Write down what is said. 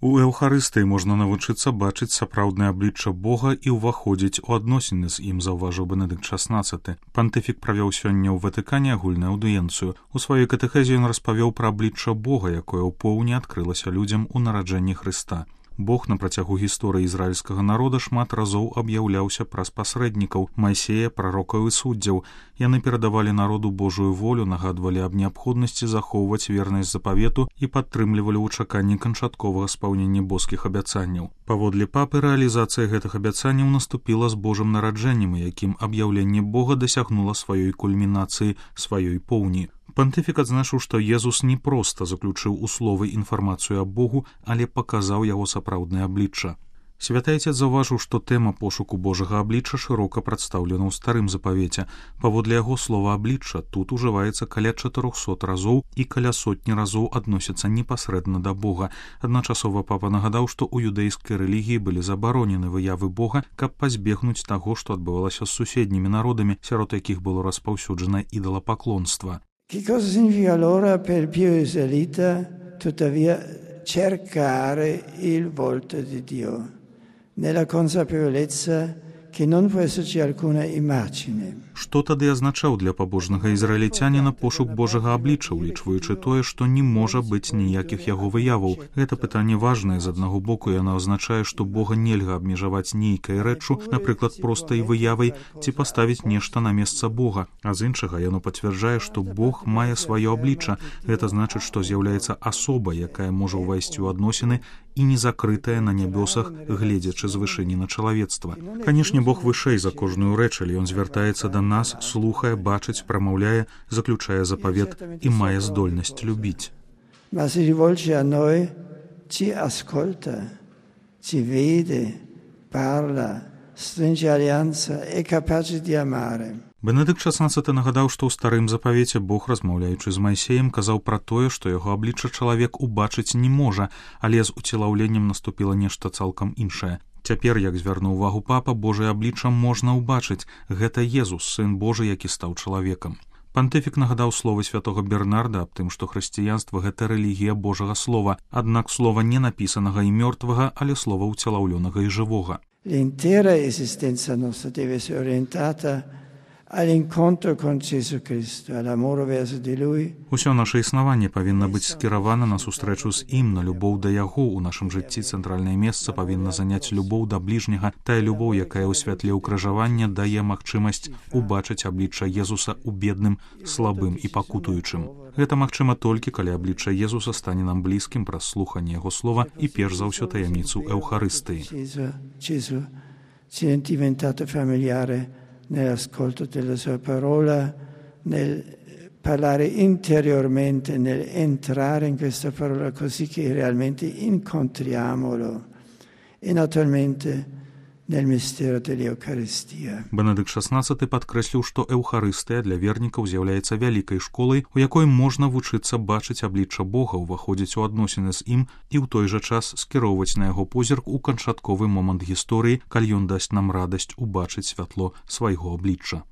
У Еўхарыстыі можна навучыцца бачыць сапраўднае аблічча Бога і ўваходзіць у адносіны з ім, заўважыў Бенедыкт XVI. Пантыфік правёў сёння ў Ватыкане агульную аўдыенцыю. У сваёй катэхезе ён распавёў пра аблічча Бога, якое ўпоўні адкрылася людзям у нараджэнні Хрыста. Бог на працягу гісторыі ізраільскага народа шмат разоў аб'яўляўся праз пасрэднікаў Майсея, прарокаў і суддзяў. Яны перадавалі народу Божую волю, нагадвалі аб неабходнасці захоўваць вернасць запавету і падтрымлівалі ў чаканні канчатковага спаўнення боскіх абяцанняў. Паводле папы, рэалізацыя гэтых абяцанняў наступіла з Божым нараджэннем, якім аб'яўленне Бога дасягнула сваёй кульмінацыі, сваёй поўні. Пантыфік адзначыў, што Езус не проста заключыў у словы інфармацыю аб Богу, але паказаў яго сапраўднае аблічча. Святы Айцец заўважыў, што тэма пошуку Божага аблічча шырока прадстаўлена ў старым запавеце. Паводле яго слова аблічча тут ужываецца каля 400 разоў і каля сотні разоў адносіцца непасрэдна да Бога. Адначасова папа нагадаў, што ў юдэйскай рэлігіі былі забаронены выявы Бога, каб пазбегнуць таго, што адбывалася з суседнімі народамі, сярод якіх было распаўсюджана ідалапаклонства. Che cosa significa allora per il pio israelita tuttavia cercare il volto di Dio, nella consapevolezza che non può esserci alcuna immagine? Што тады азначаў для пабожнага ізраільцяніна пошук Божага аблічча, улічваючы тое, што не можа быць ніякіх яго выяваў? Гэта пытанне важнае. З аднаго боку яно азначае, што Бога нельга абмежаваць нейкай рэччу, напрыклад, простай выявай, ці паставіць нешта на месца Бога. А з іншага яно пацвярджае, што Бог мае сваё аблічча. Гэта значыць, што з'яўляецца асоба, якая можа ўвайсці ў адносіны і не закрытая на нябёсах, гледзячы з вышыні на чалавецтва. Канешне, Бог вышэй за кожную рэч, але ён звяртаецца да нас, слухае, бачыць, прамаўляе, заключае запавет і мае здольнасць любіць. Ma si rivolge a noi, ci ascolta, ci vede, parla, stringe alleanza, è capace di amare. Бенедыкт XVI нагадаў, што ў старым запавеце Бог, размаўляючы з Майсеем, казаў пра тое, што яго аблічча чалавек убачыць не можа, але з уцелаўленнем наступіла нешта цалкам іншае. Цяпер, як звярнуў увагу папа, Божае аблічча можна ўбачыць. Гэта Езус, сын Божы, які стаў чалавекам. Пантыфік нагадаў словы святога Бернарда аб тым, што хрысціянства — гэта рэлігія Божага слова, аднак слова не напісанага і мёртвага, але слова ўцелаўлёнага і жывога. L'intera esistenza nostra deve essere orientata all'incontro con Gesù Cristo, all'amore verso di Lui. Усё наша існаванне павінна быць скіравана на сустрэчу з ім, на любоў да яго. У нашым жыцці цэнтральнае месца павінна заняць любоў да бліжняга, тая любоў, якая ў святле ўкрыжавання дае магчымасць убачыць аблічча Езуса ў бедным, слабым і пакутуючым. Гэта магчыма толькі, калі аблічча Езуса стане нам блізкім праз слуханне яго слова і перш за ўсё таямніцу Еўхарыстыі. Gesù ci è diventato familiare nell'ascolto della sua parola, nel parlare interiormente, nell'entrare in questa parola così che realmente incontriamolo e naturalmente nel mistero dell'Eucaristia. Бенедыкт XVI падкрэсліў, што Еўхарыстыя для вернікаў з'яўляецца вялікай школай, у якой можна вучыцца бачыць аблічча Бога, уваходзіць у адносіны з ім і ў той жа час скіроўваць на яго позірк у канчатковы момант гісторыі, калі ён дасць нам радасць убачыць святло свайго аблічча.